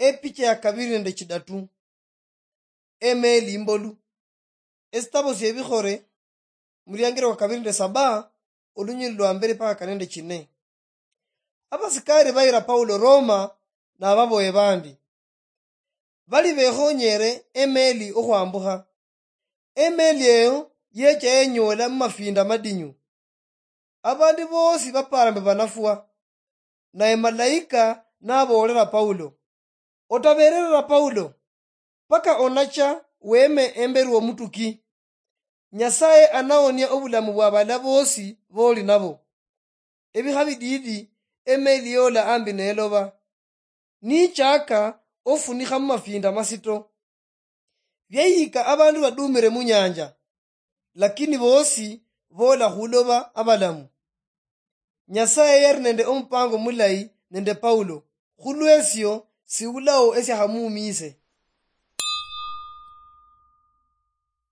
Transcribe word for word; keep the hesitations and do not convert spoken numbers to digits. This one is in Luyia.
Epicha ya kabiri nende chidatu. Emeeli imbolu. Esitabo siebikhore, muliangiro kwa kabiri nende saba, olunyili lwa mbere paka kane nende chine. Abasikari bayira Paulo Roma nababoye bandi. Bali bekhonyere emeeli okhwambukha. Emeeli eyo yecha yenyoola mumafinda madinyu. Abandu boosi bapara mbu banafwa. Naye malaika naboolera Paulo, "Otabererera Paulo, paka onacha weme embere womutuki. Nyasaye anaonia obulamu bwa bala boosi boli nabo." Ebikha bidiidi, emeeli yoola ambi neloba, nichaka ofunikha mumafinda masito. Byayika abandu badumire munyanja, lakini boosi boola khuloba abalamu. Nyasaye yali nende omupango mulayi nende Paulo, khulwesio siulao esiakhamuumiise.